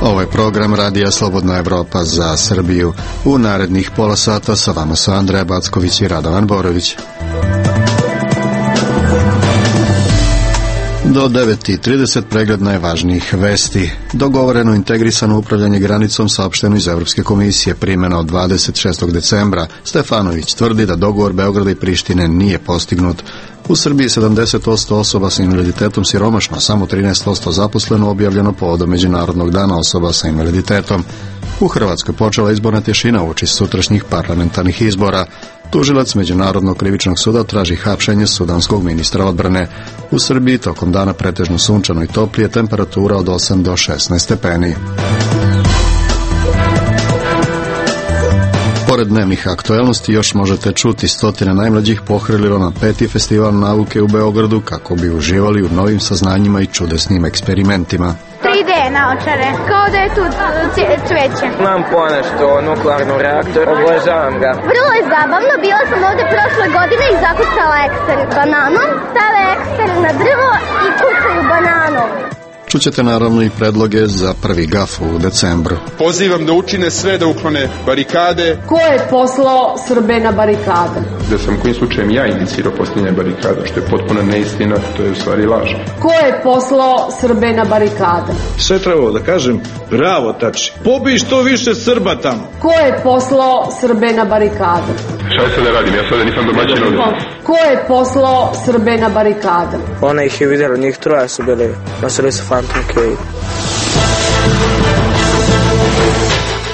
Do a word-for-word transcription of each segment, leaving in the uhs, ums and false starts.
Ovo je program Radija Slobodna Evropa za Srbiju. U narednih pola sata sa vama su Andreja Backović i Radovan Borović. Do devet i trideset pregled najvažnijih vesti. Dogovoreno integrisano upravljanje granicom saopšteno iz Evropske komisije, primjena od dvadeset šestog decembra. Stefanović tvrdi da dogovor Beograda i Prištine nije postignut. U Srbiji sedamdeset posto osoba sa invaliditetom siromašno, samo trinaest posto zaposleno, objavljeno povodom Međunarodnog dana osoba sa invaliditetom. U Hrvatskoj počela izborna tješina uoči sutrašnjih parlamentarnih izbora. Tužilac Međunarodnog krivičnog suda traži hapšenje sudanskog ministra odbrane. U Srbiji tokom dana pretežno sunčano i toplije, temperatura od osam do šesnaest stepeni. Pored dnevnih aktuelnosti još možete čuti stotine najmlađih pohrlilo na peti festival nauke u Beogradu kako bi uživali u novim saznanjima i čudesnim eksperimentima. tri D naočare, kao da je tu cveće. Znam ponešto o nuklearnom reaktoru, obožavam ga. Vrlo je zabavno, bila sam ovde prošle godine i zakucala ekser bananom, stave ekser na drvo i kucaju bananom. Čućete naravno i predloge za prvi gaf u decembru. Pozivam da učine sve da uklone barikade. Ko je poslao Srbe na barikade? Da sam kojim slučajem ja inicirao postavljanje barikada, što je potpuno neistina, to je u stvari laž. Ko je poslao Srbe na barikade? Sve trebalo da kažem, bravo Tači, pobij što više Srba tamo. Ko je poslao Srbe na barikade? Šta je sad da radim, ja sada nisam domaćin ovdje. Ko je poslao Srbe na barikade? Ona ih je vidjela, njih troje su bili, nosili su Phantom Cave.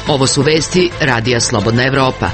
Ovo su vesti Radija Slobodna Evropa.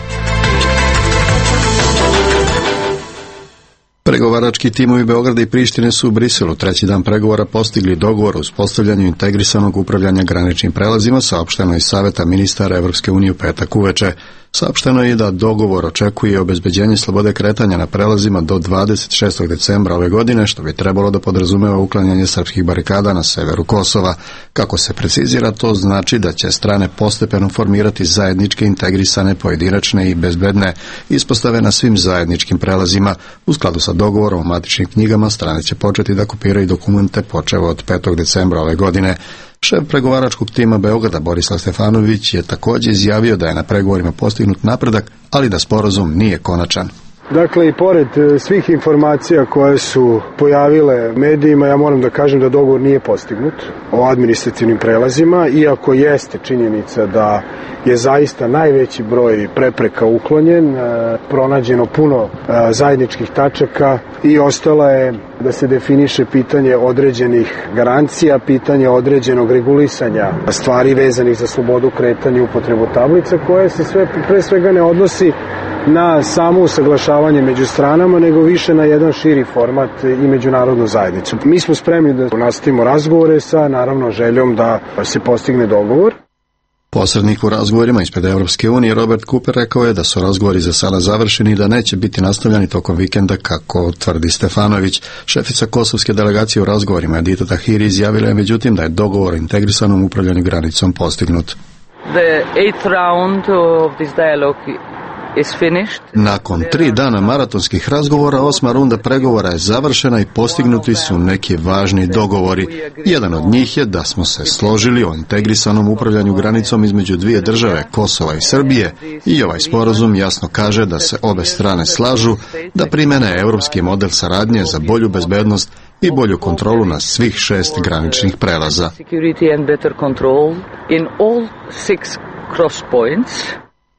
Pregovarački timovi Beograda i Prištine su u Briselu treći dan pregovora postigli dogovor o uspostavljanju integrisanog upravljanja graničnim prelazima, saopšteno iz Saveta ministara Evropske unije u petak uveče. Saopšteno je da dogovor očekuje obezbeđenje slobode kretanja na prelazima do dvadeset šestog decembra ove godine, što bi trebalo da podrazumeva uklanjanje srpskih barikada na severu Kosova. Kako se precizira, to znači da će strane postepeno formirati zajedničke, integrisane, pojedinačne i bezbedne ispostave na svim zajedničkim prelazima. U skladu sa dogovorom o matičnim knjigama, strane će početi da kopiraju dokumente počevo od petog decembra ove godine. Šef pregovaračkog tima Beograda Borislav Stefanović je također izjavio da je na pregovorima postignut napredak, ali da sporazum nije konačan. Dakle, i pored svih informacija koje su pojavile medijima, ja moram da kažem da dogovor nije postignut o administrativnim prelazima, iako jeste činjenica da je zaista najveći broj prepreka uklonjen, pronađeno puno zajedničkih tačaka i ostala je da se definiše pitanje određenih garancija, pitanje određenog regulisanja stvari vezanih za slobodu kretanja i upotrebu tablica, koje se sve, pre svega ne odnosi na samo usaglašavanje među stranama, nego više na jedan širi format i međunarodnu zajednicu. Mi smo spremni da nastavimo razgovore sa, naravno, željom da se postigne dogovor. Posrednik u razgovorima ispred Evropske unije Robert Cooper rekao je da su razgovori za sada završeni i da neće biti nastavljani tokom vikenda, kako tvrdi Stefanović. Šefica kosovske delegacije u razgovorima Edita Tahiri izjavila je međutim da je dogovor o integrisanom upravljanju granicom postignut. The eighth round of this dialogue Nakon tri dana maratonskih razgovora, osma runda pregovora je završena i postignuti su neki važni dogovori. Jedan od njih je da smo se složili o integrisanom upravljanju granicom između dvije države, Kosova i Srbije, i ovaj sporazum jasno kaže da se obe strane slažu da primene europski model saradnje za bolju bezbednost i bolju kontrolu na svih šest graničnih prelaza.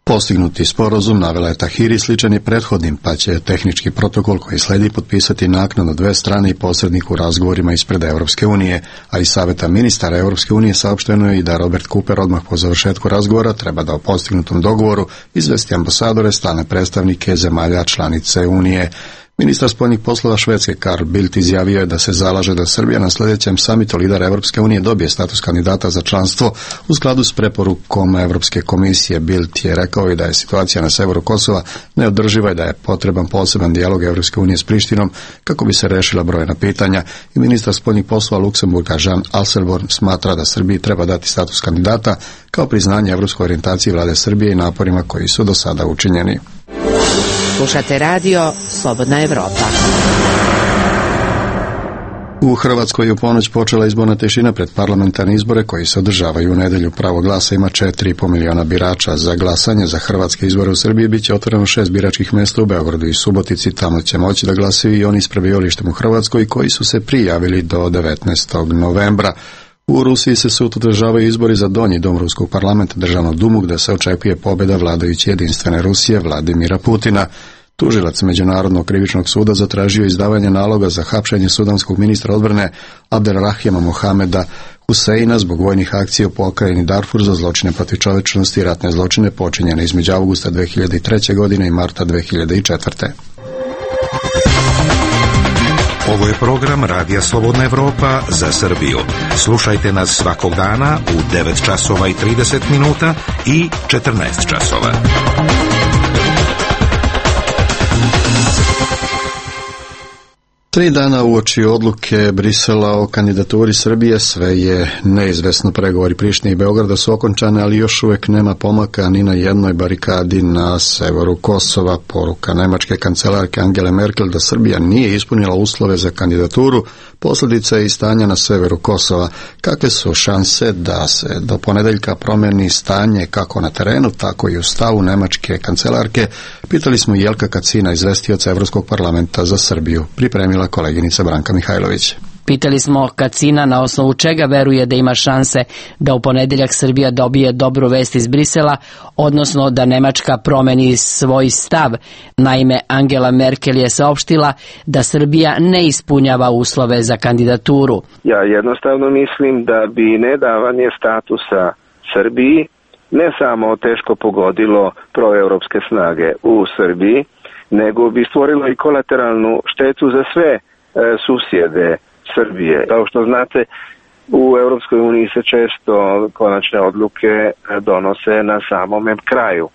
Postignuti sporazum, navela je Tahiri, sličan je prethodnim, pa će tehnički protokol koji sledi potpisati naknadno dve strane i posrednik u razgovorima ispred Evropske unije, a iz Saveta ministara Evropske unije saopšteno je i da Robert Cooper odmah po završetku razgovora treba da o postignutom dogovoru izvesti ambasadore, stalne predstavnike zemalja članice Unije. Ministar spoljnih poslova Švedske Carl Bildt izjavio je da se zalaže da Srbija na sljedećem samitu lidera Evropske unije dobije status kandidata za članstvo u skladu s preporukom Evropske komisije. Bildt je rekao i da je situacija na severu Kosova neodrživa i da je potreban poseban dijalog Evropske unije s Prištinom kako bi se rešila brojna pitanja. I ministar spoljnih poslova Luksemburga Jean Asselborn smatra da Srbiji treba dati status kandidata kao priznanje evropskoj orijentaciji vlade Srbije i naporima koji su do sada učinjeni. Slušate radio Slobodna Evropa. U Hrvatskoj je u ponoć počela izborna tišina pred parlamentarne izbore koji se održavaju u nedjelju. Pravo glasa ima četiri i pol miliona birača. Za glasanje za hrvatske izbore u Srbiji bit će otvoreno šest biračkih mjesta u Beogradu i Subotici. Tamo će moći da glasaju i oni s prebivalištem u Hrvatskoj koji su se prijavili do devetnaestog novembra. U Rusiji se sutra održavaju izbori za donji dom Ruskog parlamenta, državnu dumu, gdje se očekuje pobjeda vladajuće jedinstvene Rusije Vladimira Putina. Tužilac Međunarodnog krivičnog suda zatražio izdavanje naloga za hapšenje sudanskog ministra odbrane Abdelrahima Mohameda Huseina zbog vojnih akcija u pokrajini Darfur za zločine protiv čovječnosti i ratne zločine počinjene između avgusta dve hiljade treće. godine i marta dve hiljade četvrte. Ovo je program Radija Slobodna Evropa za Srbiju. Slušajte nas svakog dana u devet časova i trideset minuta i četrnaest časova. Tri dana uoči odluke Brisela o kandidaturi Srbije sve je neizvesno. Pregovori Prištine i Beograda su okončane, ali još uvijek nema pomaka ni na jednoj barikadi na severu Kosova. Poruka nemačke kancelarke Angele Merkel da Srbija nije ispunila uslove za kandidaturu posljedica je i stanja na severu Kosova. Kakve su šanse da se do ponedeljka promijeni stanje kako na terenu, tako i u stavu nemačke kancelarke? Pitali smo Jelka Kacina, izvestioca Evropskog parlamenta za Srbiju. Pripremila koleginica Branka Mihajlović. Pitali smo Kacina na osnovu čega veruje da ima šanse da u ponedjeljak Srbija dobije dobru vest iz Brisela, odnosno da Nemačka promeni svoj stav. Naime, Angela Merkel je saopštila da Srbija ne ispunjava uslove za kandidaturu. Ja jednostavno mislim da bi nedavanje statusa Srbiji ne samo teško pogodilo proevropske snage u Srbiji, nego bi stvorilo i kolateralnu štetu za sve e, susjede Srbije. Kao što znate, u Europskoj uniji se često konačne odluke donose na samome kraju.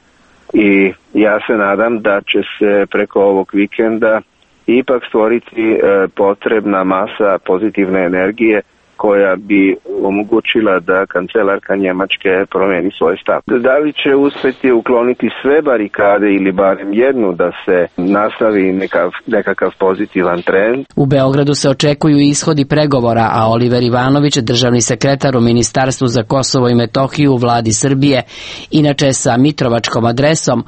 I ja se nadam da će se preko ovog vikenda ipak stvoriti e, potrebna masa pozitivne energije koja bi omogućila da kancelarka Njemačke promijeni svoj stav. Da li će uspjeti ukloniti sve barikade ili barem jednu da se nastavi nekav, nekakav pozitivan trend? U Beogradu se očekuju ishodi pregovora, a Oliver Ivanović, državni sekretar u Ministarstvu za Kosovo i Metohiju u vladi Srbije, inače sa mitrovačkom adresom,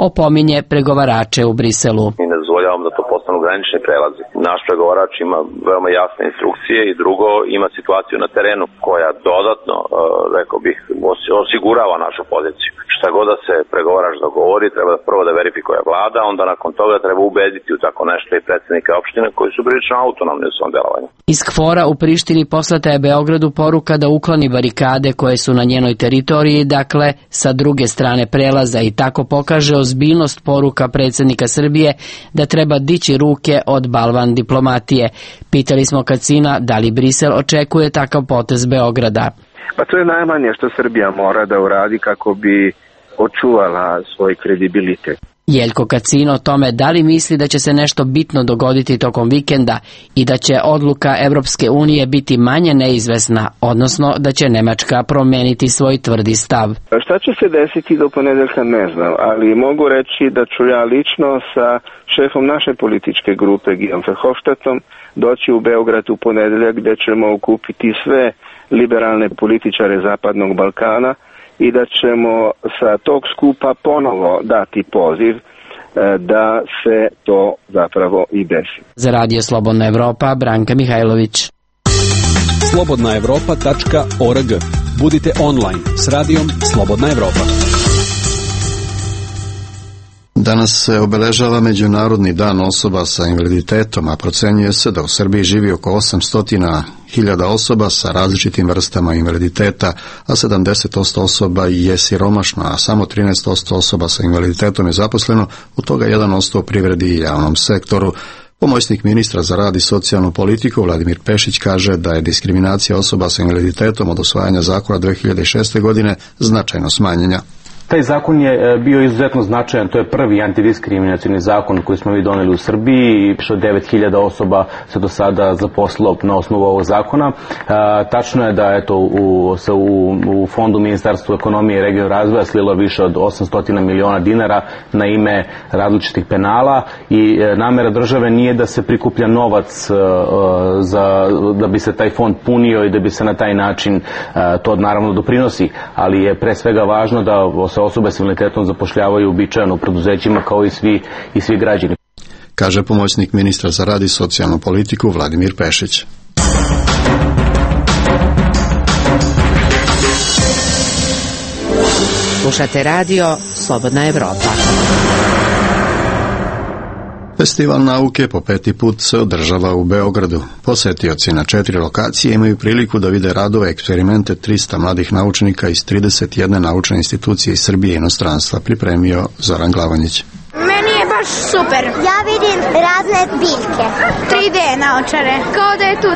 opominje pregovarače u Briselu. Mi ne dozvoljavamo da to postanu granični prelazi. Naš pregovarač ima veoma jasne instrukcije i drugo ima situaciju na terenu koja dodatno, rekao bih, osigurava našu poziciju. Šta god da se pregovarač dogovori, treba da prvo da verifikuje vlada, onda nakon toga treba ubediti u tako nešto i predsjednike opštine koji su prilično autonomni u svom delovanju. Iz KFOR-a u Prištini poslata je Beogradu poruka da ukloni barikade koje su na njenoj teritoriji, dakle sa druge strane prelaza, i tako pokaže ozbiljnost poruka predsjednika Srbije da treba dići ruke od balvan diplomatije. Pitali smo Kacina da li Brisel očekuje takav potez Beograda. Pa to je najmanje što Srbija mora da uradi kako bi očuvala svoj kredibilitet. Jeljko Kacin o tome da li misli da će se nešto bitno dogoditi tokom vikenda i da će odluka Evropske unije biti manje neizvesna, odnosno da će Nemačka promijeniti svoj tvrdi stav. Šta će se desiti do ponedeljka ne znam, ali mogu reći da ću ja lično sa šefom naše političke grupe Gijom Verhofstadtom doći u Beograd u ponedeljak gdje ćemo okupiti sve liberalne političare Zapadnog Balkana i da ćemo sa tog skupa ponovo dati poziv da se to zapravo i desi. Za Radio Slobodna Evropa, Branka Mihajlović. slobodna evropa tačka org. Budite online s radijom Slobodna Evropa. Danas se obeležava Međunarodni dan osoba sa invaliditetom, a procenjuje se da u Srbiji živi oko osamsto hiljada osoba sa različitim vrstama invaliditeta, a sedamdeset posto osoba je siromašno, a samo trinaest posto osoba sa invaliditetom je zaposleno, od toga jedan posto u privredi i javnom sektoru. Pomoćnik ministra za rad i socijalnu politiku Vladimir Pešić kaže da je diskriminacija osoba sa invaliditetom od usvajanja zakona dve hiljade šeste. godine značajno smanjenja. Taj zakon je bio izuzetno značajan, to je prvi antidiskriminacioni zakon koji smo mi doneli u Srbiji i više od devet hiljada osoba se do sada zaposlilo na osnovu ovog zakona. Tačno je da eto, u, se u, u fondu Ministarstva ekonomije i regionalnog razvoja slilo više od osamsto miliona dinara na ime različitih penala i namera države nije da se prikuplja novac za, da bi se taj fond punio i da bi se na taj način to naravno doprinosi, ali je pre svega važno da se osobe s invaliditetom zapošljavaju uobičajeno u preduzećima kao i svi, i svi građani. Kaže pomoćnik ministra za rad i socijalnu politiku Vladimir Pešić. Slušate radio Slobodna Evropa. Festival nauke po peti put se održava u Beogradu. Posetioci na četiri lokacije imaju priliku da vide radove eksperimente trista mladih naučnika iz trideset jedne naučne institucije iz Srbije i inostranstva, pripremio Zoran Glavanjić. Meni je baš super. Ja vidim razne biljke. tri D naočare. Kao da je tu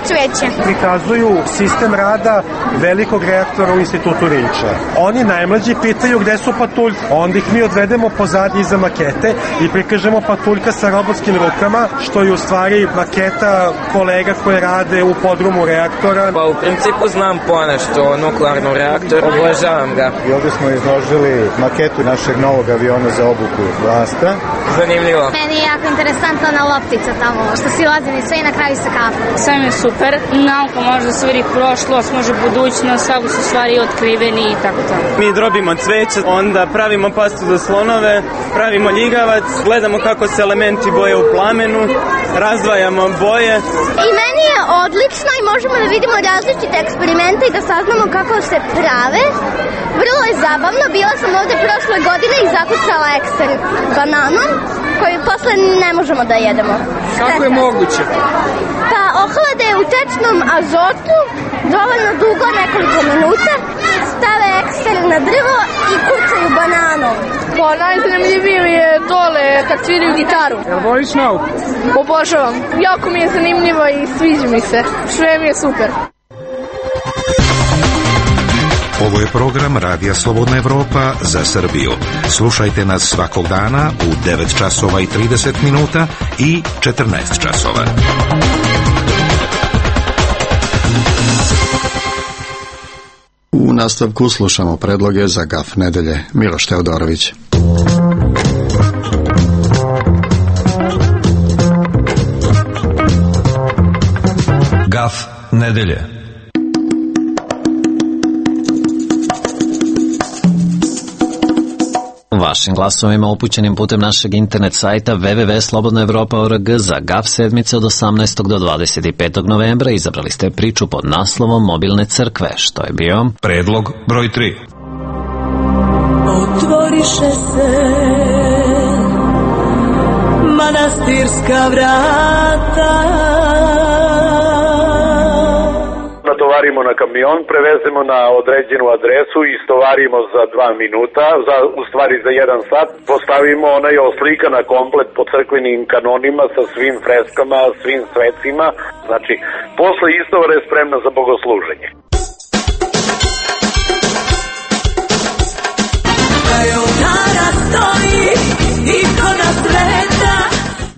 cveće. Prikazuju sistem rada velikog reaktora u institutu Rinča. Oni najmlađi pitaju gde su patuljke. Onda ih mi odvedemo pozadnji iza makete i prikažemo patuljka sa robotskim rukama, što je u stvari maketa kolega koje rade u podrumu reaktora. Pa u principu znam ponešto o nuklearnom reaktoru. Obožavam ga. I ovdje smo izložili maketu našeg novog aviona za obuku vlasta. Zanimljivo. Meni je jako interesantna ona loptica tamo, što si lazili sve i na kraju se kapu. Sve mi je super. Nauka može da se vidi prošlost, može budućnost, svako su stvari otkriveni i tako to. Mi drobimo cveće, onda pravimo pastu za slonove, pravimo ljigavac, gledamo kako se elementi boje u plamenu, razdvajamo boje. I meni je odlično i možemo da vidimo različite eksperimente i da saznamo kako se prave. Vrlo je zabavno, bila sam ovde prošle godine i zakucala ekser bananom, koju posle ne možemo da jedemo. Kako je moguće? Pa ohlade u tečnom azotu dovoljno dugo, nekoliko minuta, stave ekser na drvo i kucaju bananom. Pa najzanimljivije je dole kad sviraju gitaru. Jel voliš nauku? Obožavam. Jako mi je zanimljivo i sviđa mi se. Sve mi je super. Ovo je program Radija Slobodna Evropa za Srbiju. Slušajte nas svakog dana u devet časova i trideset minuta i četrnaest časova. U nastavku slušamo predloge za Gaf nedelje. Miloš Teodorović. Gaf nedelje. Vašim glasovima upućenim putem našeg internet sajta w w w tačka slobodna evropa tačka org za Gaf sedmice od osamnaestog do dvadeset petog novembra izabrali ste priču pod naslovom Mobilne crkve, što je bio predlog broj tri. Otvoriše se manastirska vrata, natovarimo na kamion, prevezemo na određenu adresu i istovarimo za dva minuta, za, u stvari za jedan sat, postavimo onaj oslikana komplet po crkvenim kanonima sa svim freskama, svim svecima, znači posle istovara je spremna za bogosluženje.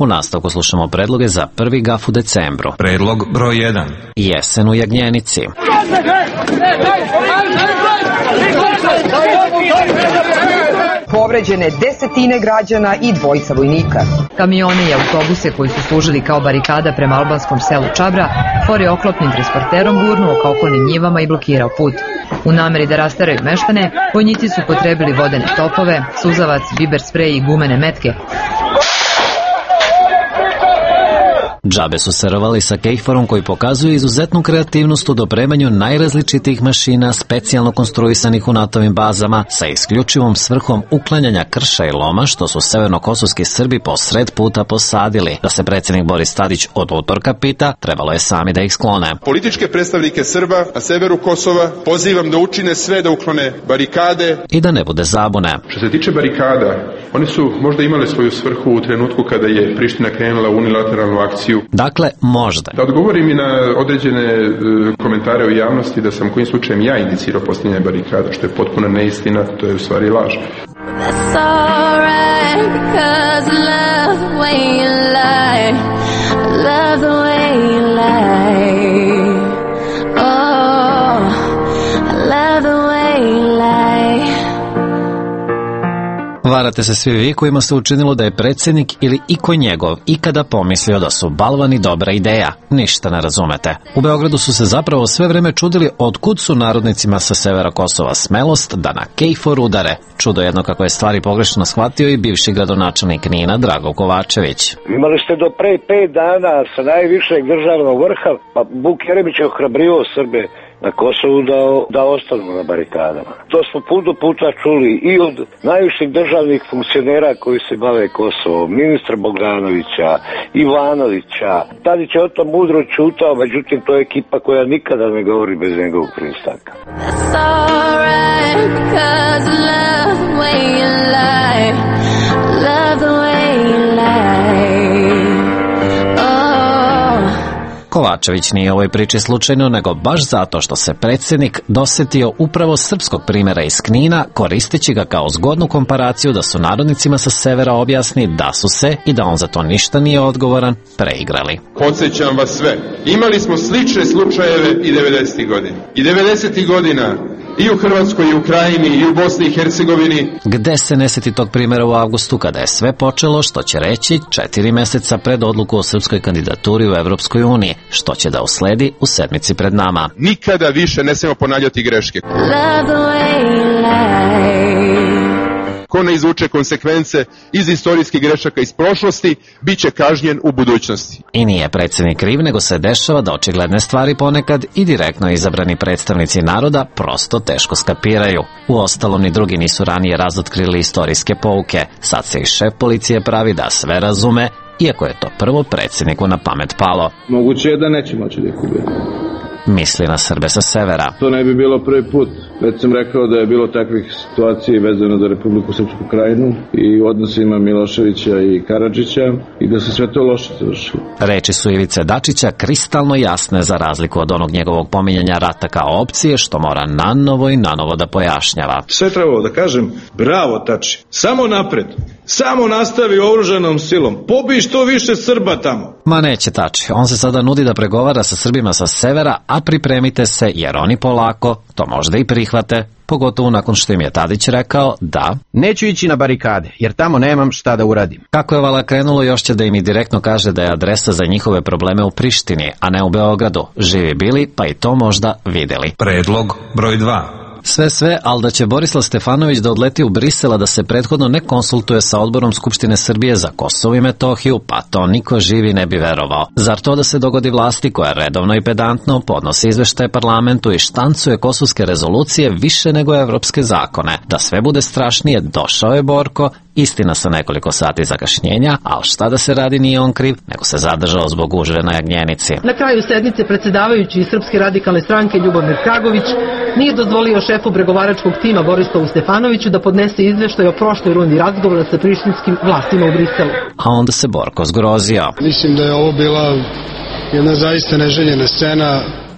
U nastavku slušamo predloge za prvi Gaf u decembru. Predlog broj jedan. Jesen u Jagnjenici. Povređene desetine građana i dvojica vojnika. Kamione i autobuse koji su služili kao barikada prema albanskom selu Čabra, Fore oklopnim transporterom gurnuo ka okolnim njivama i blokirao put. U nameri da rastaraju meštane, vojnici su potrebili vodene topove, suzavac, biber sprej i gumene metke. Džabe su se rovali sa kejforom koji pokazuje izuzetnu kreativnost u dopremanju najrazličitijih mašina specijalno konstruisanih u natovim bazama sa isključivom svrhom uklanjanja krša i loma što su severnokosovski Srbi po sred puta posadili. Da se predsjednik Boris Tadić od utorka pita, trebalo je sami da ih sklone. Političke predstavnike Srba na severu Kosova pozivam da učine sve da uklone barikade. I da ne bude zabune. Što se tiče barikada, one su možda imale svoju svrhu u trenutku kada je Priština krenula u unilateralnu akciju situaciju. Dakle, možda. Da odgovorim i na određene e, komentare u javnosti da sam kojim slučajem ja inicirao postavljanje barikada, što je potpuno neistina, to je u stvari laž. That's alright, because I love the way you lie. I love the way you lie. Oh, I love the way you lie. Varate se svi vi kojima se učinilo da je predsjednik ili iko njegov ikada pomislio da su balvani dobra ideja. Ništa ne razumete. U Beogradu su se zapravo sve vreme čudili otkud su narodnicima sa severa Kosova smelost da na Kejfor udare. Čudo jedno kako je stvari pogrešno shvatio i bivši gradonačelnik Knina Drago Kovačević. Imali ste do pre pet dana sa najvišeg državnog vrha, pa Vuk Jeremić je ohrabrio Srbe na Kosovu da, da ostanu na barikadama. To smo puno puta čuli i od najviših državnih funkcionera koji se bave Kosovom, ministra Bogdanovića, Ivanovića. Tadić je o tom mudro čutao, međutim to je ekipa koja nikada ne govori bez njegovog pristanka. That's alright, because I love the way you lie. Love the way you lie. Kovačević nije u ovoj priči slučajno, nego baš zato što se predsjednik dosetio upravo srpskog primjera iz Knina, koristeći ga kao zgodnu komparaciju da su narodnicima sa severa objasni da su se, i da on za to ništa nije odgovoran, preigrali. Podsjećam vas sve, imali smo slične slučajeve i devedesetih godina. I devedesetih godina i u Hrvatskoj, i u Krajini, i u Bosni i Hercegovini. Gde se ne seti tog primjera u avgustu kada je sve počelo, što će reći četiri meseca pred odluku o srpskoj kandidaturi u Evropskoj uniji, što će da usledi u sedmici pred nama. Nikada više ne smijemo ponavljati greške. Love the way you lie. Ko ne izvuče konsekvence iz istorijskih grešaka iz prošlosti, bit će kažnjen u budućnosti. I nije predsjednik kriv, nego se dešava da očigledne stvari ponekad i direktno izabrani predstavnici naroda prosto teško skapiraju. Uostalom, ni drugi nisu ranije razotkrili istorijske pouke. Sad se i šef policije pravi da sve razume, iako je to prvo predsjedniku na pamet palo. Moguće je da neće moći da ih ubije. Misli na Srbe sa severa. To ne bi bilo prvi put. Već sam rekao da je bilo takvih situacija vezano za Republiku Srpsku Krajinu i u odnosima Miloševića i Karadžića i da se sve to loše završilo. Reči su Ivice Dačića kristalno jasne za razliku od onog njegovog pominjanja rata kao opcije, što mora nanovo i nanovo da pojašnjava. Sve trebalo da kažem, bravo Tači, samo napred, samo nastavi oružanom silom, pobij što više Srba tamo. Ma neće Tači, on se sada nudi da pregovara sa Srbima sa severa, a pripremite se jer oni polako to možda i prihvate, pogotovo nakon što im je Tadić rekao da neću ići na barikade, jer tamo nemam šta da uradim. Kako je vala krenulo, još će da im i direktno kaže da je adresa za njihove probleme u Prištini, a ne u Beogradu. Živi bili, pa i to možda videli. Predlog broj dva. Sve sve, ali da će Borislav Stefanović da odleti u Brisela da se prethodno ne konsultuje sa odborom Skupštine Srbije za Kosovo i Metohiju, pa to niko živi ne bi verovao. Zar to da se dogodi vlasti koja redovno i pedantno podnosi izveštaje parlamentu i štancuje kosovske rezolucije više nego evropske zakone? Da sve bude strašnije, došao je Borko, istina sa nekoliko sati zakašnjenja, ali šta da se radi, nije on kriv, nego se zadržao zbog gužve na Jagnjenici. Na kraju sednice predsjedavajući iz Srpske radikalne stranke Ljubomir Kragović nije dozvolio šefu pregovaračkog tima Borislavu Stefanoviću da podnese izveštaj o prošloj rundi razgovora sa prištinskim vlastima u Briselu. A onda se Borko zgrozio. Mislim da je ovo bila jedna zaista neželjena scena.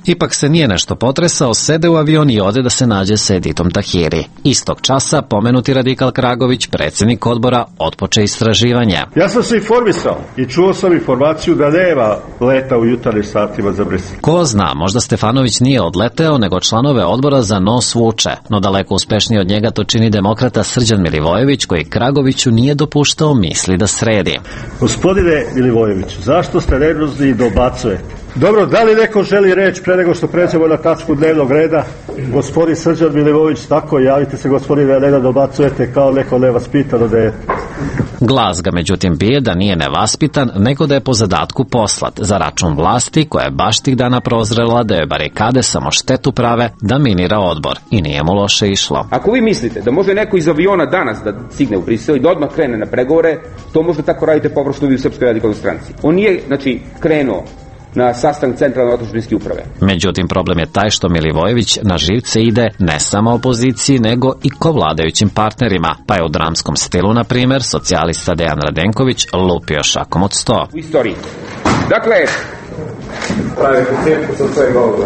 Ipak se nije nešto potresao, sede u avion i ode da se nađe sa Editom Tahiri. Istog časa pomenuti radikal Kragović, predsjednik odbora, otpoče istraživanje. Ja sam se informisao i čuo sam informaciju da nema leta u jutarnjim satima za Brisel. Ko zna, možda Stefanović nije odleteo, nego članove odbora za nos vuče, no daleko uspešnije od njega to čini demokrata Srđan Milivojević, koji Kragoviću nije dopuštao misli da sredi. Gospodine Milivojeviću, zašto ste nervozni i dobacujete? Dobro, da li neko želi reč pre nego što pređemo na tačku dnevnog reda? Gospodin Srđan Milivojević, tako, javite se gospodine, ne da dobacujete kao neko nevaspitano dete. Glas ga međutim bije da nije nevaspitan, nego da je po zadatku poslat za račun vlasti koja je baš tih dana prozrela da je barikade samo štetu prave da minira odbor i nije mu loše išlo. Ako vi mislite da može neko iz aviona danas da stigne u Brisel i da odmah krene na pregovore, to možda tako radite površno vi u Srpskoj radikalnoj stranci. On nije, znači, krenuo na sastanak centralne otadžbinske uprave. Međutim, problem je taj što Milivojević na živce ide ne samo opoziciji, nego i ko vladajućim partnerima, pa je u dramskom stilu, na primjer, socijalista Dejan Radenković lupio šakom od sto. U istoriji Dakle, pravite cirkus od svega ovoga.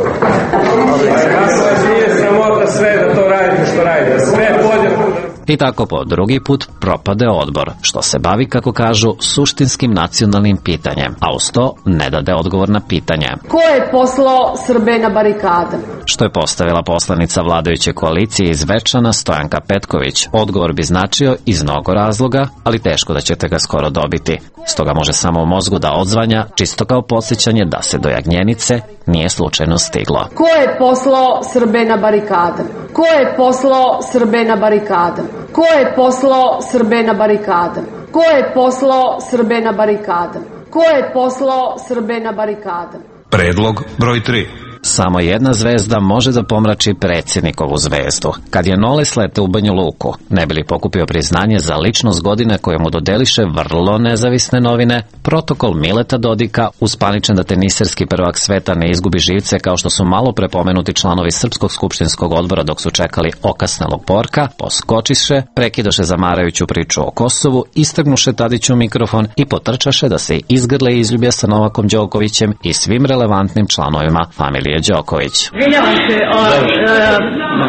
Vas nije sramota sve da to radite što radite. Sve podjedno. I tako po drugi put propade odbor, što se bavi, kako kažu, suštinskim nacionalnim pitanjem, a uz to ne dade odgovor na pitanje. Ko je poslao Srbe na barikade? Što je postavila poslanica vladajuće koalicije iz Večana Stojanka Petković. Odgovor bi značio iz mnogo razloga, ali teško da ćete ga skoro dobiti. Stoga može samo u mozgu da odzvanja, čisto kao podsjećanje da se do Jagnjenice nije slučajno stiglo. Ko je poslao Srbe na barikade? Ko je poslao Srbe na barikade? Ko je poslao Srbe na barikade? Ko je poslao Srbe na barikade? Ko je poslao Srbe na barikade? Predlog broj tri. Samo jedna zvezda može da pomrači predsjednikovu zvezdu. Kad je Nole slete u Banju Luku, ne bi li pokupio priznanje za ličnost godine koje mu dodeliše vrlo nezavisne novine, protokol Mileta Dodika, uspaničen da teniserski prvak sveta ne izgubi živce kao što su malo prepomenuti članovi Srpskog skupštinskog odbora dok su čekali okasnelog porka, poskočiše, prekidoše zamarajuću priču o Kosovu, istrgnuše Tadiću mikrofon i potrčaše da se izgrle i izljubje sa Novakom Đokovićem i svim relevantnim članovima familije Đoković. Izvinjavam se, o, e,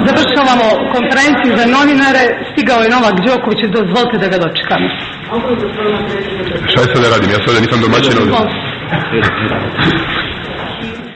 završavamo konferenciju za novinare, stigao je Novak Đoković, dozvolite da ga dočekamo. Šta je sad da radim? Ja sada nisam domaćin ovdje.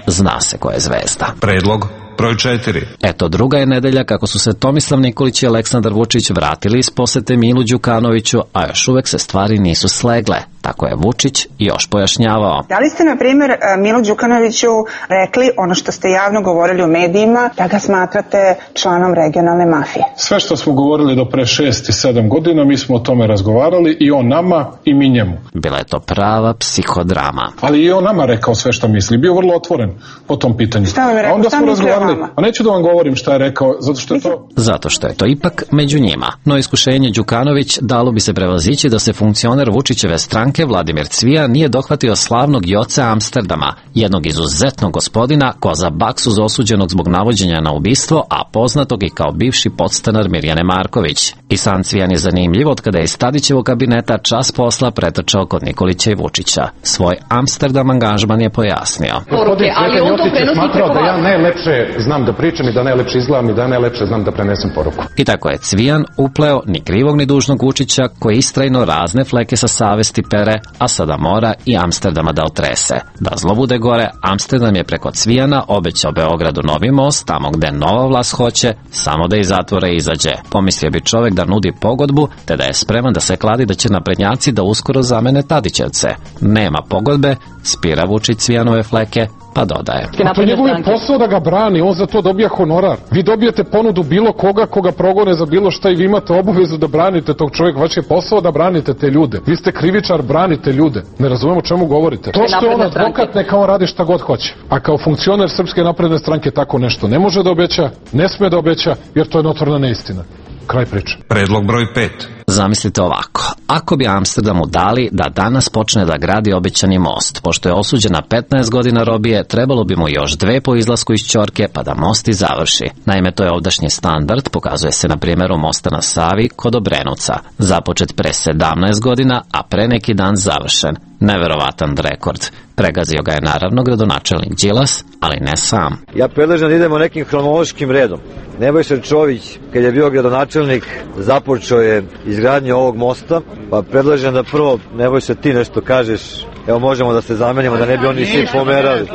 Zna se ko je zvezda. Predlog broj četiri. Eto, druga je nedelja kako su se Tomislav Nikolić i Aleksandar Vučić vratili iz posete Milu Đukanoviću, a još uvek se stvari nisu slegle. Tako je Vučić još pojašnjavao. Da li ste, na primjer, Milu Đukanoviću rekli ono što ste javno govorili u medijima, da ga smatrate članom regionalne mafije? Sve što smo govorili do pre šest i sedam godina, mi smo o tome razgovarali, i on nama i mi njemu. Bila je to prava psihodrama. Ali i on nama rekao sve što misli. Bio vrlo otvoren po tom pitanju. Šta vam je rekao? A onda šta smo razgovarali. A neću da vam govorim šta je rekao, zato što je to... Zato što je to ipak među njima. No iskušenje Đukanović dalo bi se prevazići da se funkcioner Vučićeve stranke Vladimir Cvijan nije dohvatio slavnog Joce Amsterdama, jednog izuzetnog gospodina ko za baksuz osuđenog zbog navođenja na ubistvo, a poznatog i kao bivši podstanar Mirjane Marković. I sam Cvijan je zanimljiv od kada je iz Tadićevog kabineta čas posla pretrčao kod Nikolića i Vučića. Svoj Amsterdam angažman je pojasnio. Gospodin Sreten Josić je smatrao da ja najlepše znam da pričam i da najlepše izgledam i da najlepše znam da prenesem poruku. I tako je Cvijan upleo ni krivog ni dužnog Vučića, koji istrajno razne fleke sa savesti pere, a sada mora i Amsterdama da otrese. Da zlo bude gore, Amsterdam je preko Cvijana obećao Beogradu novi most, tamo gde nova vlast hoće, samo da iz zatvora izađe. Pomislio bi čovek da nudi pogodbu, te da je spreman da se kladi da će naprednjaci da uskoro zamene Tadićevce. Nema pogodbe, spira Vučić Cvijanove fleke, pa dodaje. To je njegov posao da ga brani, on za to dobija honorar. Vi dobijete ponudu bilo koga koga progone za bilo šta i vi imate obavezu da branite tog čovjeka. Vaš je posao da branite te ljude. Vi ste krivičar, branite ljude. Ne razumemo o čemu govorite. To što je on advokat, neka on radi šta god hoće. A kao funkcioner Srpske napredne stranke tako nešto ne može da obeća, ne sme da obeća, jer to je notorna neistina. Kraj priče. Predlog broj pet. Zamislite ovako, ako bi Amsterdamu dali da danas počne da gradi obećani most, pošto je osuđen na petnaest godina robije, trebalo bi mu još dve po izlasku iz ćorke pa da most i završi. Naime, to je ovdašnji standard, pokazuje se na primjeru mosta na Savi kod Obrenovca, započet pre sedamnaest godina, a pre neki dan završen. Neverovatan rekord. Pregazio ga je naravno gradonačelnik Đilas, ali ne sam. Ja predlažem da idemo nekim hronološkim redom. Nebojša Čović, kad je bio gradonačelnik, započeo je izgradnju ovog mosta, pa predlažem da prvo, Nebojša, ti nešto kažeš. Evo, možemo da se zamenimo, da ne bi oni svi pomerali.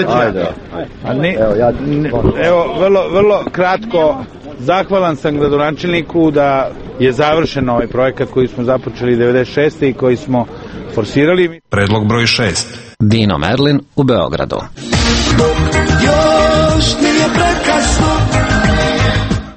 Ajde. Evo, ja, evo, vrlo, vrlo kratko, zahvalan sam gradonačelniku da je završen ovaj projekat koji smo započeli devedeset šeste i koji smo forsirali. Predlog broj šest. Dino Merlin u Beogradu. Još nije prekasno.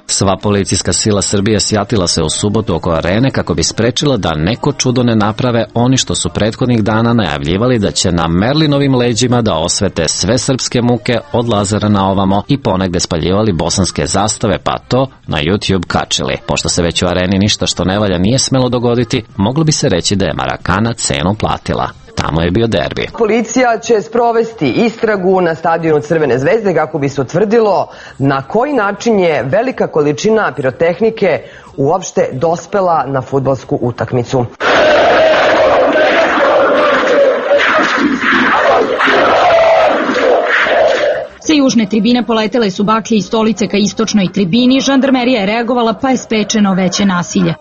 Sva policijska sila Srbije sjatila se u subotu oko arene kako bi sprečila da neko čudo ne naprave oni što su prethodnih dana najavljivali da će na Merlinovim leđima da osvete sve srpske muke od Lazara na ovamo i ponegde spaljivali bosanske zastave, pa to na YouTube kačili. Pošto se već u areni ništa što ne valja nije smelo dogoditi, moglo bi se reći da je Marakana cenu platila. Tamo je bio derbi. Policija će sprovesti istragu na stadionu Crvene zvezde kako bi se utvrdilo na koji način je velika količina pirotehnike uopšte dospela na fudbalsku utakmicu. Sa južne tribine poletele su baklje i stolice ka istočnoj tribini, žandarmerija je reagovala pa je sprečeno veće nasilje.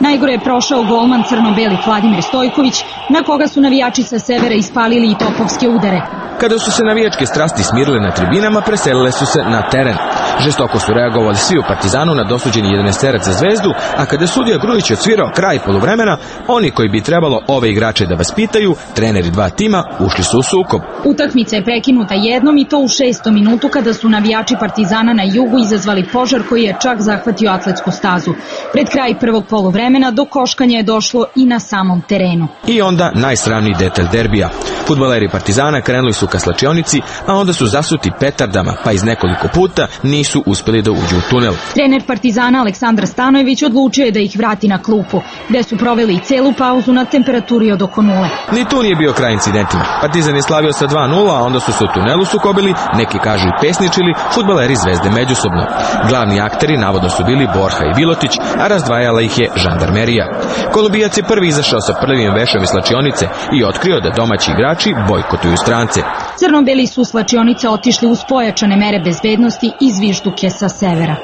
Najgore je prošao golman crno-beli Vladimir Stojković, na koga su navijači sa severa ispalili i topovske udare. Kada su se navijačke strasti smirile na tribinama, preselile su se na teren. Žestoko su reagovali svi u Partizanu na dosuđeni jedanaesterac za Zvezdu, a kada je sudija Grujić odsvirao kraj poluvremena, oni koji bi trebalo ove igrače da vaspitaju, treneri dva tima, ušli su u sukob. Utakmica je prekinuta jednom i to u šestom minutu kada su navijači Partizana na jugu izazvali požar koji je čak zahvatio atletsku stazu. Pred kraj prvog poluvremena do koškanja je došlo i na samom terenu. I onda najsramniji detalj derbija. Fudbaleri Partizana krenuli su ka slačionici, a onda su zasuti petardama, pa iz nekoliko puta nisu uspeli da uđu u tunel. Trener Partizana Aleksandar Stanojević odlučio je da ih vrati na klupu, gde su proveli celu pauzu na temperaturi od oko nule. Ni tu nije bio kraj incidentima. Partizan je slavio sa dva nula, a onda su se u tunelu sukobili, neki kažu i pesničili, fudbaleri Zvezde međusobno. Glavni akteri navodno su bili Borha i Vilotić, a razdvajala ih je žandarmerija. Kolumbijac je prvi izašao sa prvim vešom iz slačionice i otkrio da domaći igrači bojkotuju strance. Crno-beli su slačionice otišli uz pojačane mere bezbednosti i zvižduke sa severa.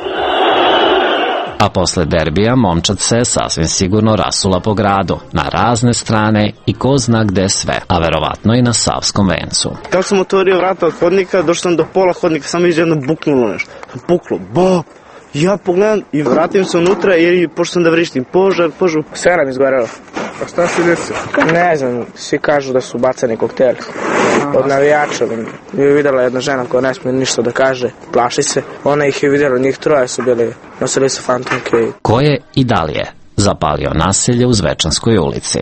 A posle derbija momčad se sasvim sigurno rasula po gradu, na razne strane i ko zna gde sve, a verovatno i na Savskom vencu. Kako sam otvorio vrata od hodnika, došao sam do pola hodnika, samo iz jedno buknulo nešto. Puklo, bo! Ja pogledam i vratim se unutra jer pošto sam da vrištim požar, požar. Sve nam izgorelo. A šta se desilo? Ne znam, svi kažu da su bacani kokteli. Od navijača. Je videla jedna žena koja ne smije ništa da kaže, plaši se. Ona ih je vidjela, njih troje su bili, nosili su fantomke. Ko je i da li je zapalio naselje u Zvečanskoj ulici?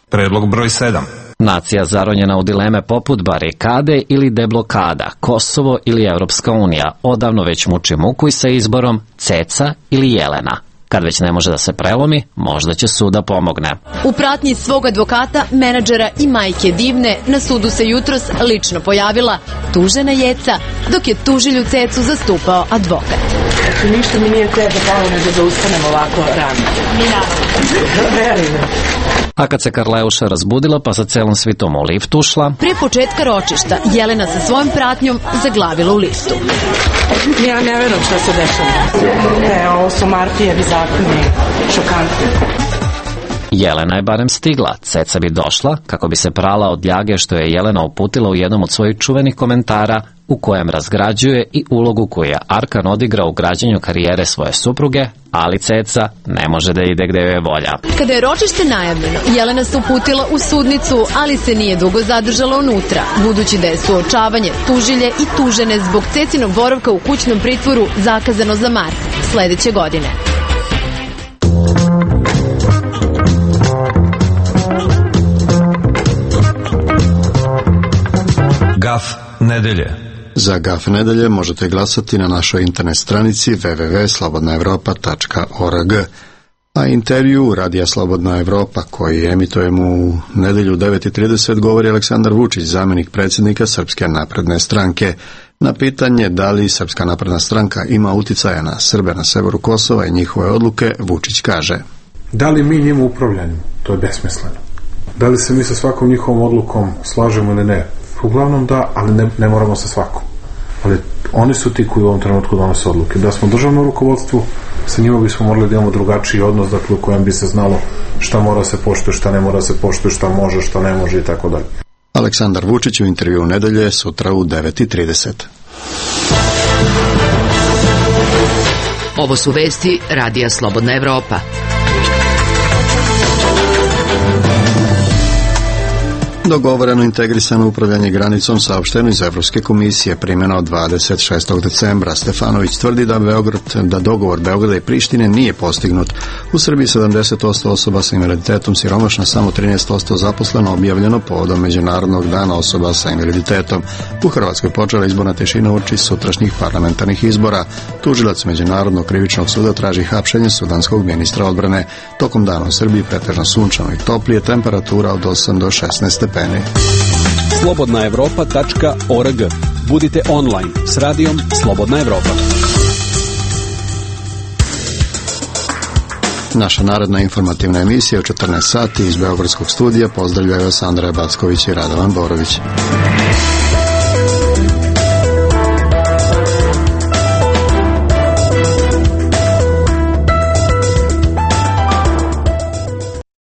Predlog broj sedam. Nacija zaronjena u dileme poput barikade ili deblokada, Kosovo ili Evropska unija, odavno već muči muku i sa izborom Ceca ili Jelena. Kad već ne može da se prelomi, možda će sud da pomogne. U pratnji svog advokata, menadžera i majke Divne, na sudu se jutros lično pojavila tužena Jeca, dok je tužilju Cecu zastupao advokat. Ništa mi nije treba palo nego da ustanem ovako rano. Mi naravno. Verujem. A kad se Karleuša razbudila pa sa celom svitom u lift ušla, pre početka ročišta Jelena sa svojom pratnjom zaglavila u liftu. Ja ne verujem šta se dešava. Ne, ovo su Martijevi zakoni, šokantni. Jelena je barem stigla, Ceca bi došla kako bi se prala od ljage što je Jelena uputila u jednom od svojih čuvenih komentara u kojem razgrađuje i ulogu koju je Arkan odigrao u građenju karijere svoje supruge, ali Ceca ne može da ide gde joj je volja. Kada je ročište najavljeno, Jelena se uputila u sudnicu, ali se nije dugo zadržala unutra, budući da je suočavanje tužilje i tužene zbog Cecinog boravka u kućnom pritvoru zakazano za mart sledeće godine. Gaf nedelje. Za Gaf nedelje možete glasati na našoj internet stranici w w w tačka slobodna evropa tačka org. A intervju Radija Slobodna Evropa koji emitujemo u nedelju u devet i trideset govori Aleksandar Vučić, zamjenik predsjednika Srpske napredne stranke. Na pitanje da li Srpska napredna stranka ima uticaja na Srbe na severu Kosova i njihove odluke, Vučić kaže: Da li mi njima upravljamo? To je besmisleno. Da li se mi sa svakom njihovom odlukom slažemo ili ne? Uglavnom da, ali ne, ne moramo sa svakom. Ali oni su ti koji u ovom trenutku donose odluke. Da smo državno rukovodstvo, sa njima bismo morali da imamo drugačiji odnos, dakle u kojem bi se znalo šta mora se poštuje, šta ne mora se poštuje, šta može, šta ne može i tako dalje. Aleksandar Vučić u intervju nedelje sutra u devet i trideset. Ovo su vesti Radija Slobodna Evropa. Dogovoreno integrisano upravljanje granicom saopšteno iz Evropske komisije primjena od dvadeset šestog decembra. Stefanović tvrdi da Beograd, da dogovor Beograda i Prištine nije postignut. U Srbiji sedamdeset posto osoba sa invaliditetom siromašna, samo trinaest posto zaposleno, objavljeno povodom Međunarodnog dana osoba sa invaliditetom. U Hrvatskoj počela izborna tišina uoči sutrašnjih parlamentarnih izbora. Tužilac Međunarodnog krivičnog suda traži hapšenje sudanskog ministra odbrane. Tokom dana u Srbiji pretežno sunčano i toplije, temperatura od osam do šesnaest stepeni. slobodna evropa tačka org. Budite online s radijom Slobodna Evropa. Naša narodna informativna emisija u četrnaest sati iz Beogradskog studija pozdravljaju vas Andreja Backović i Radovan Borović.